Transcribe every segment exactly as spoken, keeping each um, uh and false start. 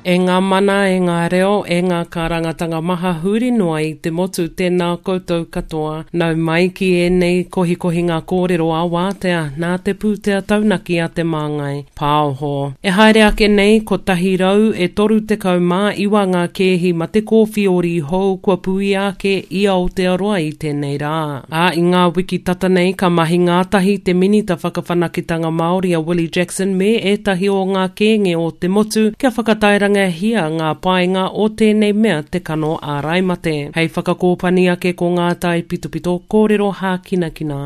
E ngā mana, e ngā reo, e ngā kārangatanga maha huri noa i te motu, tēnā koutou katoa. Nau mai ki ēnei kohikohinga kōrero a wātea nā te pūtea taunaki a Te Māngai Pāoho. E haere ake nei, kotahi rau e toru tekau mā iwa ngā kēhi mate kōwhiori hou kua puia ake i Aotearoa i tēnei rā. Ā, i ngā wiki tata nei ka mahi ngātahi te Minita Whakawhanaketanga Māori a Willie Jackson me ētahi o ngā kēnge o te motu kia whakatairangahia ngā painga o tēnei mea te kano ārai mate. Hei whakakōpani ake ko ngā taipitopito kōrero hākinakina.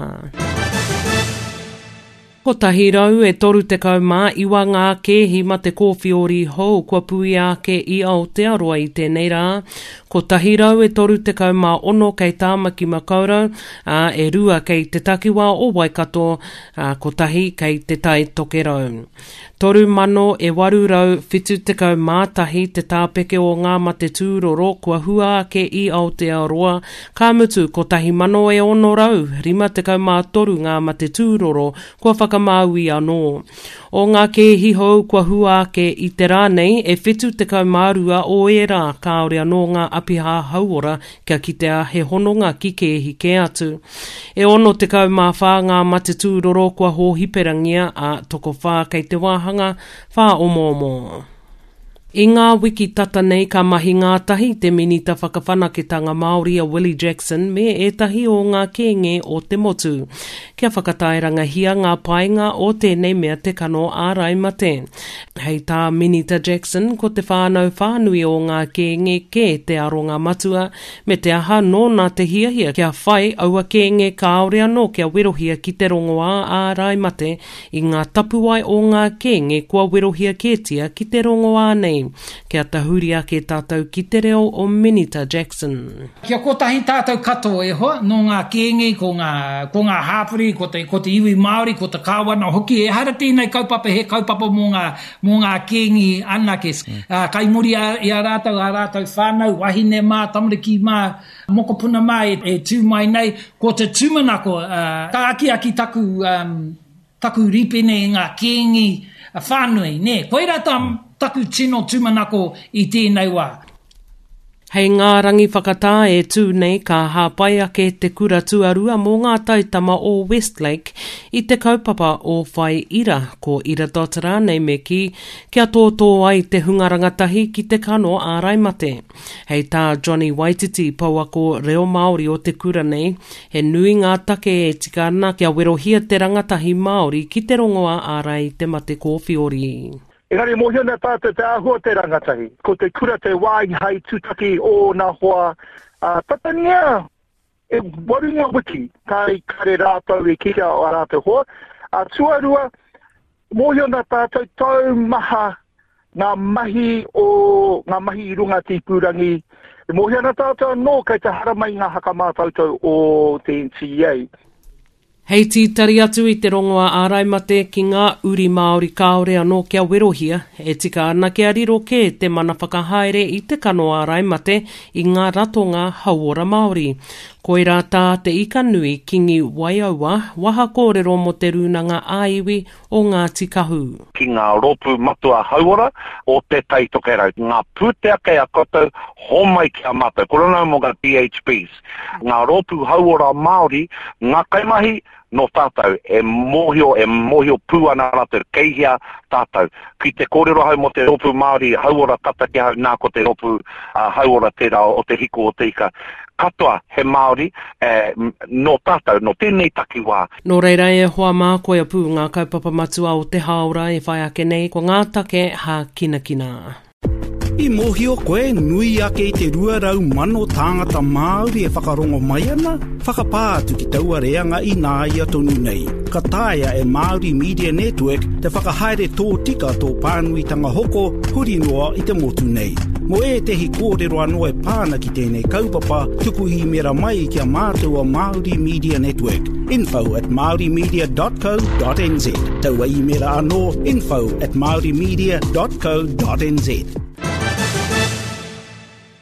Kotahi rau e toru tekau mā iwa ngā kēhi mate kōwhiori hou kua puia ake i Aotearoa i tēnei rā. Kotahi rau e toru tekau mā ono kei Tāmaki Makaurau, ā, e rua kei te takiwā o Waikato, ā, kotahi kei te Tai Tokerau. Toru mano e waru rau whitu tekau mā tahi te tāpeke o ngā mate tūroro kua hua ake i Aotearoa, ka mutu kotahi mano e ono rau rima tekau mā toru ngā mate tūroro kua whakamāui anō. O ngā kēhi hou kua hua ake i te rā nei, e whitu tekau mā rua o ērā kāore anō ngā apiha hauora kia kitea he hononga ki kēhi kē atu. E ono tekau mā whā ngā mate tūroro kua hōhiperangia, ā, tokowhā kei te wāhanga whāomoomo. I ngā wiki tata nei ka mahi ngātahi te Minita Whakawhanaketanga Māori a Willie Jackson me ētahi o ngā kēnge o te motu kia whakatairangahia ngā painga o tēnei mea te kano ārai mate. Hei tā Minita Jackson, ko te whānau whānui o ngā kēnge kē te aronga matua, me te aha nōna te hiahia kia whai aua kēnge kāore anō kia werohia ki te rongoā ārai mate i ngā tapuwae o ngā kēnge kua werohia kētia ki te rongoā nei. Kia tahuri ake tātou ki te reo o Minita Jackson. Kia kotahi tātou katoa e hoa, nō ngā kēnge, ko ngā, ko ngā hāpori, ko te, ko te iwi Māori, ko te kāwana hoki. Ehara tēnei kaupapa he kaupapa mō ngā, mō ngā kēnge anake. Mm. Uh, kai muri a, i a rātou, a rātou whānau, wahine mā, tamariki mā, mokopuna mā e, e tū mai nei. Ko te tūmanako, uh, ka akiaki taku, um, taku ripene i ngā kēnge whānui. Nē, koirā tā taku tino tūmanako i tēnei wā. Hei ngā rangi whakatā e tū nei ka hāpai ake te kura tuarua mō ngā taitama o Westlake i te kaupapa o Whai Ira, ko Ira Dot rānei me kī, kia tōtō ai te hunga rangatahi ki te kano ārai mate. Hei tā Johnny Waititi, pouako reo Māori o te kura nei, he nui ngā take e tika ana kia werohia te rangatahi Māori ki te rongoā ārai i te mate kōwhiori. Engari mōhio ana tātou te āhua o te rangatahi. Ko te kura te wāhi hai tūtaki ōna hoa, ā, tatangia e waru ngā wiki kāre, kāre rātou e kitea o ā rātou hoa. Ā, tuarua, mōhio ana tātou taumaha ngā mahi o ngā mahi i runga te ipurangi. E mōhio ana tātou anō kei te haramai ngā hakamātautau o te N T A. Hei tītari atu i te rongoā ārai mate ki ngā uri Māori kāore anō kia werohia, e tika ana kia riro kē te mana whakahaere i te kano ārai mate i ngā ratonga hauora Māori. Koirā tā te ika nui Kingi Waiaua, waha kōrero mō te rūnanga ā-iwi o Ngāti Kahu. Ki ngā rōpū matua hauora o te Tai Tokerau. Ngā pūtea kei a koutou, homai ki a mātou. Ko rona mō ngā D H Bs. Ngā rōpū hauora Māori, ngā kaimahi, nō tātou, e mōhio, e mōhio pū ana rātou, kei hea tātou. Ki te kōrero hau mō te rōpū Māori hauora tata ki ahau, nā ko te rōpū, uh, hauora tērā o te hiko o te ika. Katoa he Māori, eh, nō tātou, nō tēnei takiwā. Nō reira e hoa mā koia pū ngā kaupapa matua o te hāora e whai ake nei, ko ngā take hākinakina. I mōhio koe nui ake i te rua rau mano tāngata Māori e whakarongo mai ana, whakapā atu ki taua reanga i nāia tonu nei. Ka taea e Māori Media Network te whakahaere tōtika tō pānuitanga hoko huri noa i te motu nei. Mō ētehi kōrero anō e pāna ki tēnei kaupapa, tuku īmera mai ki a mātou o Māori Media Network. Info at māorimedia dot co dot n z. Taua īmera anō, info at māorimedia dot co dot n z.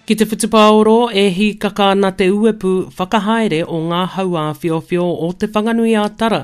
Ki te whutupaoro e hīkaka ana te uepu whakahaere o ngā hauāwhiowhio o Te Whanganui-a-Tara.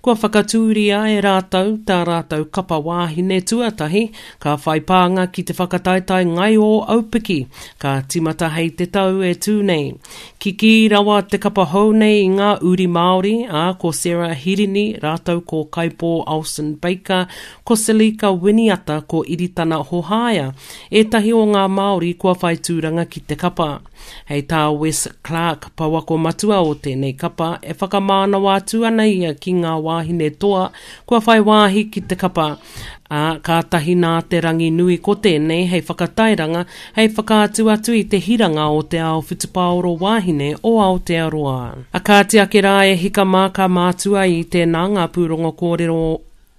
Kua whakatūria e rātou tā rātou kapa wāhine tuatahi, ka whai pānga ki te whakataetae ngaio aupiki, ka timata hei te tau e tū nei. Kikī rawa te kapa hou nei i ngā uri Māori, ā, ko Sarah Hirini, rātou ko Kaipo Olsen Baker, ko Selica Winiata, ko Iritana Hohaia, ētahi o ngā Māori kua whai tūranga ki te kapa. Hei tā Wes Clark, pouako matua o tēnei kapa, e whakamānawa atu ana ia ki ngā wāhine toa kua whai wāhi ki te kapa. Ā, kātahi nā te rangi nui ko tēnei hei whakatairanga, hei whakaatu atu i te hiranga o te ao whutupaoro wāhine o Aotearoa. A kāti ake rā e hika mā ka mātua i tēnā ngā pūrongo kōrero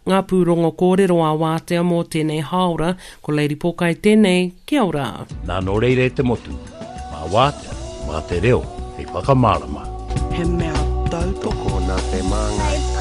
Ngā pūrongo kōrero a wātea mō tēnei hāora, ko Lady Pōkai tēnei, kia ora. Nā nō reira e te motu, mā wātea, mā te reo, hei whakamārama. He mea tautoko nā te Māngai.